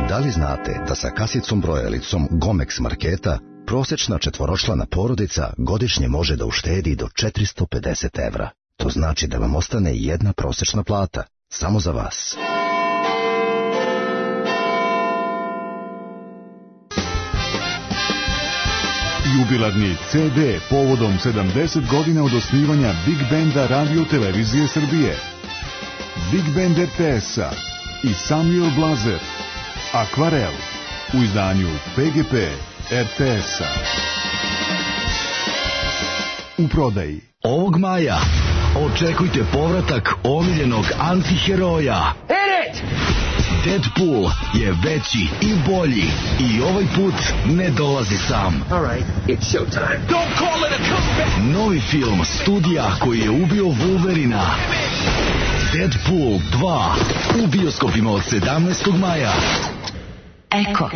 Da li znate da sa kasicom brojalicom Gomex marketa prosječna četvoročlana porodica godišnje može da uštedi do 450 evra? To znači da vam ostane jedna prosječna plata, samo za vas. Jubilarni CD povodom 70 godina od osnivanja Big Benda Radio Televizije Srbije. Big Band RTS-a i Samuel Blazer. Akvarel u izdanju PGP RTS-a. U prodaji. Ovog maja očekujte povratak omiljenog antiheroja. Deadpool je veći i bolji i ovaj put ne dolazi sam. Novi film studija koji je ubio Wolverina. Deadpool 2 u bioskopima od 17. maja. Eko.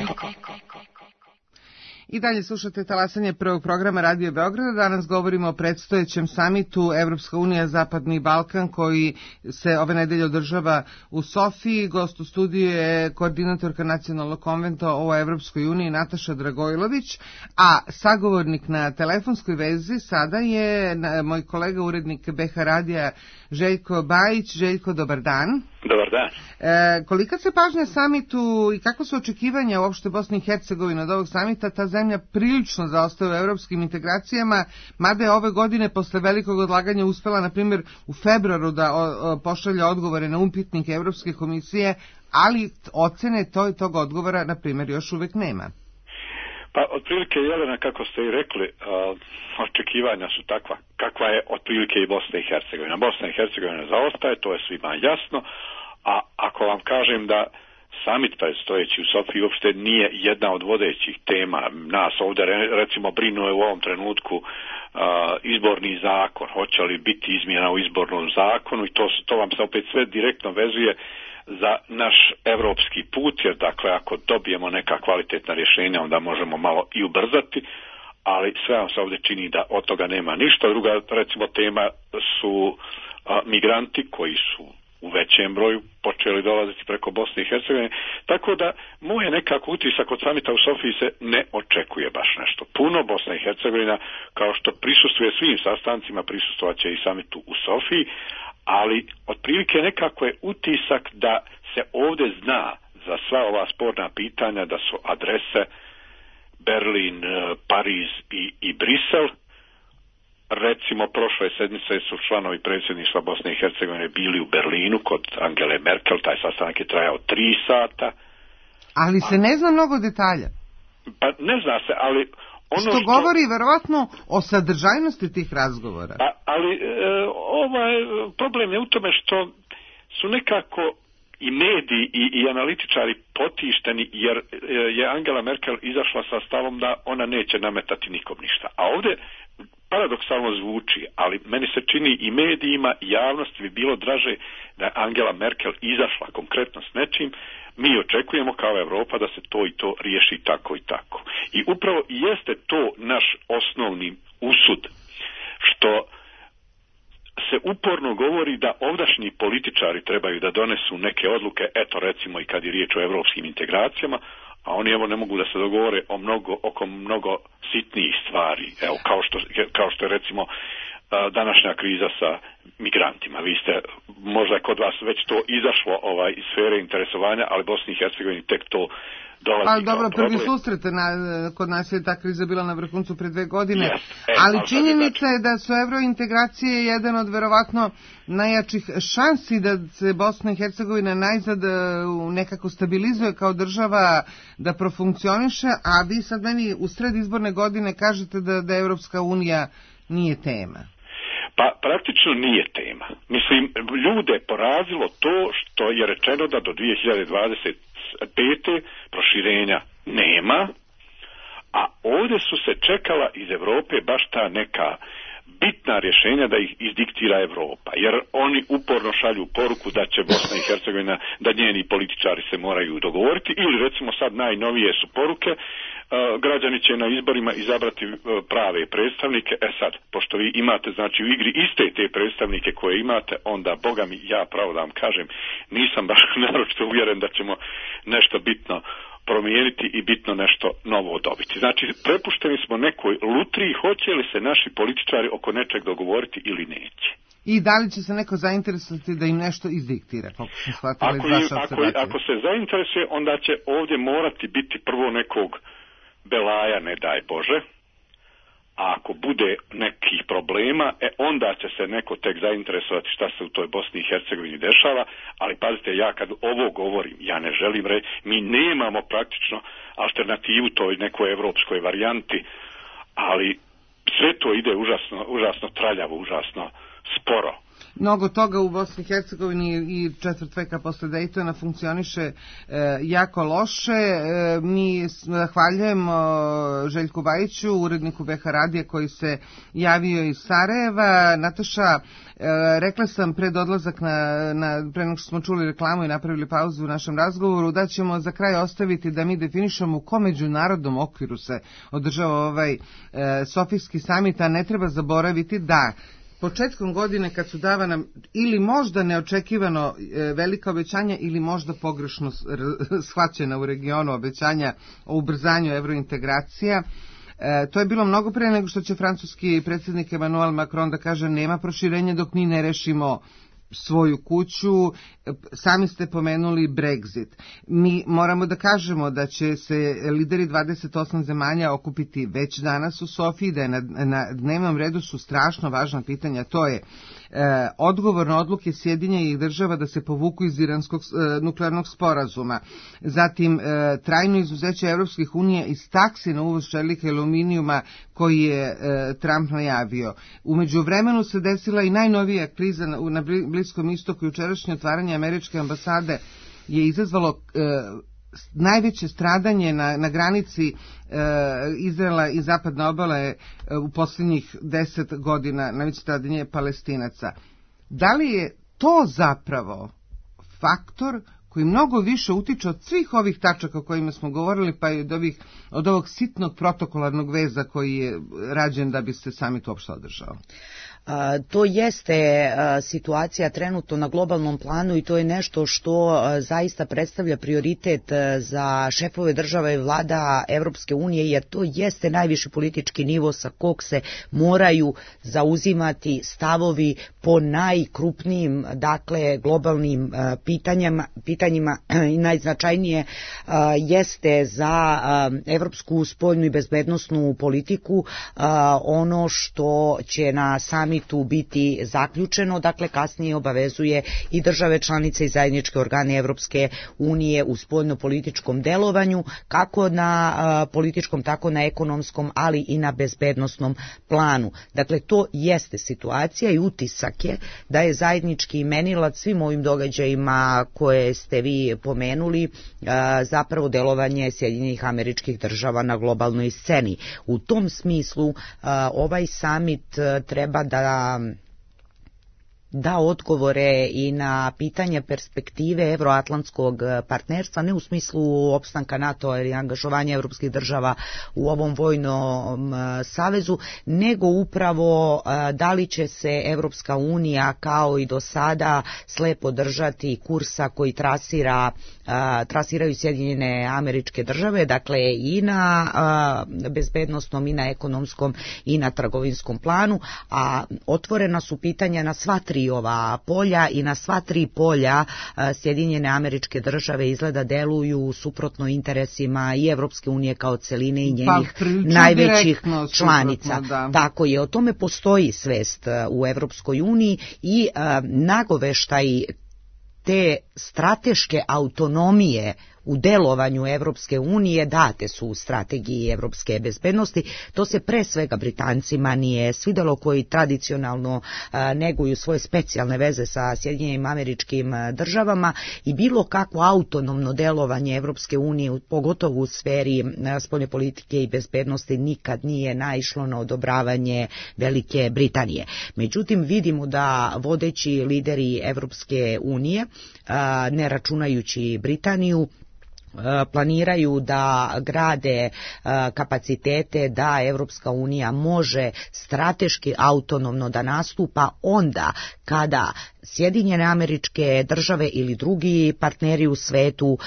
I dalje slušate talasanje prvog programa Radio Beograda. Danas govorimo o predstojećem samitu Evropska unija Zapadni Balkan koji se ove nedelje održava u Sofiji. Gost u studiju je koordinatorka Nacionalnog konventa o Evropskoj uniji Nataša Dragojlović, a sagovornik na telefonskoj vezi sada je moj kolega urednik BH Radija Željko Bajić. Željko, dobar dan. Dobar dan. Kolika se pažnja samitu i kako su očekivanja uopšte Bosne i Hercegovine od ovog samita? Ta zemlja prilično zaostaje u evropskim integracijama, mada je ove godine posle velikog odlaganja uspela, na primjer, u februaru da pošalja odgovore na upitnike Evropske komisije, ali ocene tog odgovora, na primjer, još uvek nema. Pa, otprilike, Jelena, kako ste i rekli, očekivanja su takva, kakva je otprilike i Bosna i Hercegovina. Bosna i Hercegovina zaostaje, to je svima jasno, a ako vam kažem da samit predstojeći u Sofiji uopšte nije jedna od vodećih tema, nas ovdje recimo brinuje u ovom trenutku izborni zakon, hoće li biti izmjena u izbornom zakonu i to vam se opet sve direktno vezuje za naš evropski put, jer dakle ako dobijemo neka kvalitetna rješenja onda možemo malo i ubrzati, ali sve vam se ovdje čini da od toga nema ništa. Druga recimo tema su migranti koji su u većem broju počeli dolaziti preko Bosne i Hercegovine, tako da moj nekako utisak od samita u Sofiji se ne očekuje baš nešto puno. Bosna i Hercegovina, kao što prisustvuje svim sastancima, prisustvovat će i samitu u Sofiji, ali otprilike nekako je utisak da se ovdje zna za sva ova sporna pitanja da su adrese Berlin, Pariz i Brisel. Recimo, prošle sedmice su članovi predsjedništva Bosne i Hercegovine bili u Berlinu kod Angele Merkel, taj sastanak je trajao 3 sata. Ali se ne zna mnogo detalja. Pa ne zna se, ali ono što govori verovatno o sadržajnosti tih razgovora. Ali problem je u tome što su nekako i mediji i analitičari potišteni jer je Angela Merkel izašla sa stavom da ona neće nametati nikom ništa. A ovdje paradoksalno zvuči, ali meni se čini i medijima i javnosti bi bilo draže da je Angela Merkel izašla konkretno s nečim. Mi očekujemo kao Europa da se to i to riješi tako i tako. I upravo jeste to naš osnovni usud, što se uporno govori da ovdašnji političari trebaju da donesu neke odluke, eto recimo i kad je riječ o evropskim integracijama, a oni evo ne mogu da se dogovore oko mnogo sitnijih stvari, evo kao što je recimo današnja kriza sa migrantima. Vi ste, možda je kod vas već to izašlo iz sfere interesovanja, ali Bosni i Hercegovini tek to dolazi. Ali dobro, prvi susret kod nas je ta kriza bila na vrhuncu pre 2 godine, ali činjenica je da su evrointegracije jedan od verovatno najjačih šansi da se Bosna i Hercegovina najzad nekako stabilizuje kao država, da profunkcioniše, a vi sad meni u sred izborne godine kažete da Evropska unija nije tema. Pa praktično nije tema. Mislim, ljude porazilo to što je rečeno da do 2025. proširenja nema, a ovdje su se čekala iz Europe baš ta neka bitna rješenja da ih izdiktira Europa, jer oni uporno šalju poruku da će Bosna i Hercegovina, da njeni političari se moraju dogovoriti, ili recimo sad najnovije su poruke, građani će na izborima izabrati prave predstavnike. Sad, pošto vi imate znači u igri iste te predstavnike koje imate, onda boga mi, ja pravo da vam kažem, nisam baš naročito uvjeren da ćemo nešto bitno promijeniti i bitno nešto novo dobiti. Znači, prepušteni smo nekoj lutriji, hoće li se naši političari oko nečeg dogovoriti ili neće. I da li će se neko zainteresovati da im nešto izdiktira? Ako se zainteresuje, onda će ovdje morati biti prvo nekog belaja, ne daj Bože, a ako bude nekih problema, onda će se neko tek zainteresovati šta se u toj Bosni i Hercegovini dešava, ali pazite, ja kad ovo govorim, ja ne želim reći, mi nemamo praktično alternativu toj nekoj evropskoj varijanti, ali sve to ide užasno traljavo, užasno sporo. Mnogo toga u Bosni i Hercegovini i četvrt veka posle Dejtona funkcioniše jako loše. Mi zahvaljujemo Željku Bajiću, uredniku BH Radija koji se javio iz Sarajeva. Nataša, rekla sam pred odlazak pre nego što smo čuli reklamu i napravili pauzu u našem razgovoru, da ćemo za kraj ostaviti da mi definišemo u kom međunarodnom okviru se održava ovaj Sofijski samit, a ne treba zaboraviti da početkom godine kad su davana ili možda neočekivano velika obećanja ili možda pogrešno shvaćena u regionu obećanja o ubrzanju evrointegracija, to je bilo mnogo pre nego što će francuski predsjednik Emmanuel Macron da kaže nema proširenja dok mi ne rešimo svoju kuću. Sami ste pomenuli Brexit. Mi moramo da kažemo da će se lideri 28 zemalja okupiti već danas u Sofiji, da je na dnevnom redu su strašno važna pitanja. To je odgovor na odluke Sjedinjenih država da se povuku iz iranskog nuklearnog sporazuma. Zatim trajno izuzeće Evropskih unija iz taksi na uvoz čelika i aluminijuma koji je Trump najavio. U međuvremenu se desila i najnovija kriza na Bliskom istoku. Jučerašnje otvaranje američke ambasade je izazvalo najveće stradanje na granici Izraela i zapadne obale u posljednjih 10 godina, najveće stradanje Palestinaca. Da li je to zapravo faktor koji mnogo više utiče od svih ovih tačaka o kojima smo govorili, pa i od ovog sitnog protokolarnog veza koji je rađen da bi se samit uopšte održao? To jeste situacija trenutno na globalnom planu i to je nešto što zaista predstavlja prioritet za šefove država i vlada Evropske unije, jer to jeste najviši politički nivo sa kog se moraju zauzimati stavovi po najkrupnijim, dakle, globalnim pitanjima i najznačajnije jeste za evropsku spoljnu i bezbednosnu politiku ono što će na sami samitu biti zaključeno, dakle kasnije obavezuje i države članice i zajedničke organe Evropske unije u spoljno-političkom delovanju, kako na političkom, tako na ekonomskom, ali i na bezbednosnom planu. Dakle, to jeste situacija i utisak je da je zajednički imenilac svim ovim događajima koje ste vi pomenuli zapravo delovanje Sjedinjenih Američkih Država na globalnoj sceni. U tom smislu ovaj samit treba da odgovore i na pitanje perspektive evroatlantskog partnerstva, ne u smislu opstanka NATO ili angažovanja evropskih država u ovom vojnom savezu, nego upravo da li će se Evropska unija kao i do sada slepo držati kursa koji trasiraju Sjedinjene Američke Države, dakle i na bezbednosnom i na ekonomskom i na trgovinskom planu, a otvorena su pitanja na sva tri ova polja i na sva tri polja Sjedinjene Američke Države izgleda deluju suprotno interesima i Evropske unije kao celine i njenih najvećih članica. Tako je, o tome postoji svest u Evropskoj uniji i nagoveštaj te strateške autonomije u delovanju Evropske unije date su u strategiji evropske bezbednosti. To se pre svega Britancima nije svidelo, koji tradicionalno neguju svoje specijalne veze sa Sjedinjenim Američkim Državama, i bilo kakvo autonomno delovanje Evropske unije, pogotovo u sferi spoljne politike i bezbednosti, nikad nije naišlo na odobravanje Velike Britanije. Međutim, vidimo da vodeći lideri Evropske unije, ne računajući Britaniju, planiraju da grade kapacitete da Evropska unija može strateški autonomno da nastupa onda kada Sjedinjene Američke Države ili drugi partneri u svetu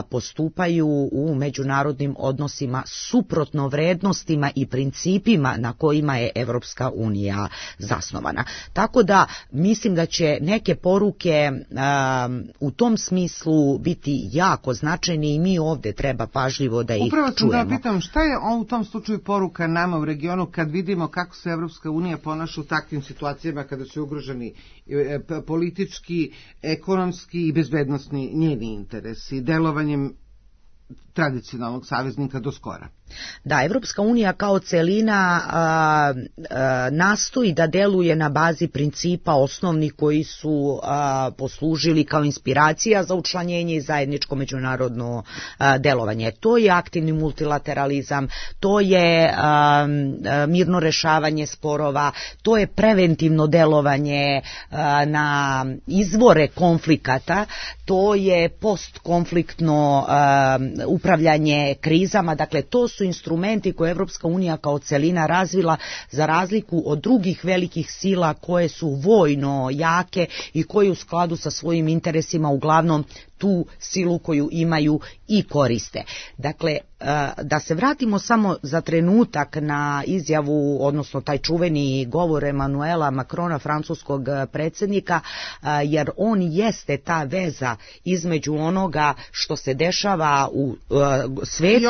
postupaju u međunarodnim odnosima suprotno vrednostima i principima na kojima je Evropska unija zasnovana. Tako da mislim da će neke poruke u tom smislu biti jako značajne i mi ovdje treba pažljivo da ih čujemo. Upravo sam da pitam, šta je u tom slučaju poruka nama u regionu kad vidimo kako se Evropska unija ponaša u takvim situacijama kada su ugroženi politički, ekonomski i bezbednosni njeni interesi, delovanjem tradicionalnog saveznika do skora? Da, Evropska unija kao celina nastoji da deluje na bazi principa osnovnih koji su poslužili kao inspiracija za učlanjenje i zajedničko međunarodno delovanje. To je aktivni multilateralizam, to je mirno rešavanje sporova, to je preventivno delovanje na izvore konflikata, to je postkonfliktno upravljanje krizama. Dakle, to su instrumenti koje Evropska unija kao celina razvila za razliku od drugih velikih sila koje su vojno jake i koje u skladu sa svojim interesima uglavnom tu silu koju imaju i koriste. Dakle, da se vratimo samo za trenutak na izjavu, odnosno taj čuveni govor Emanuela Macrona, francuskog predsjednika, jer on jeste ta veza između onoga što se dešava u svetu,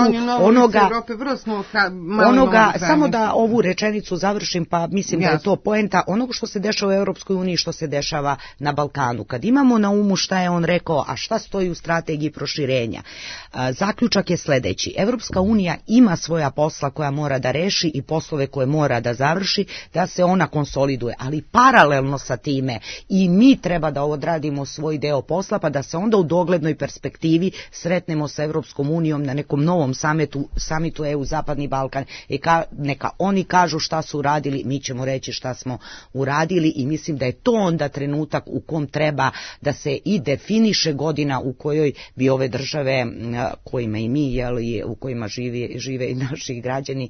onoga, samo da ovu rečenicu završim, pa mislim da je to poenta, onoga što se dešava u Europskoj uniji, što se dešava na Balkanu. Kad imamo na umu šta je on rekao, a šta stoji u strategiji proširenja, zaključak je sljedeći: Evropska unija ima svoja posla koja mora da reši i poslove koje mora da završi, da se ona konsoliduje, ali paralelno sa time i mi treba da odradimo svoj deo posla, pa da se onda u doglednoj perspektivi sretnemo sa Evropskom unijom na nekom novom samitu EU Zapadni Balkan i neka oni kažu šta su uradili, mi ćemo reći šta smo uradili, i mislim da je to onda trenutak u kom treba da se i definiše godina u kojoj bi ove države, kojima i mi, u kojima žive i naši građani,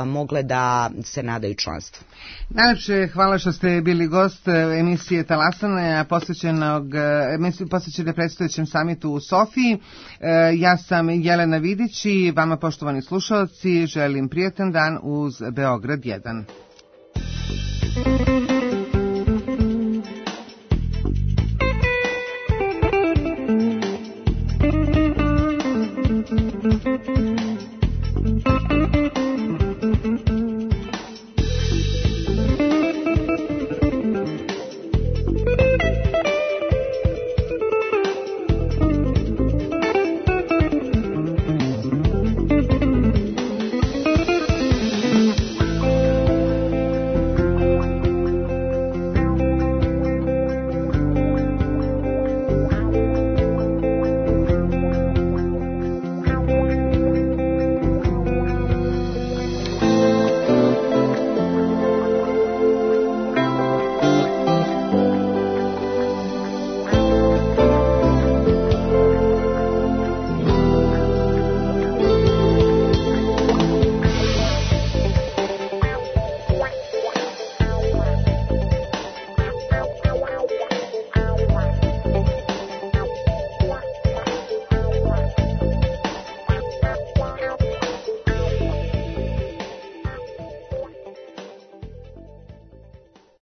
mogle da se nadaju članstvu. Najlepše hvala što ste bili gost emisije Talasana, posvećene predstojećem samitu u Sofiji. Ja sam Jelena Vidić i vama, poštovani slušalci, želim prijatan dan uz Beograd 1.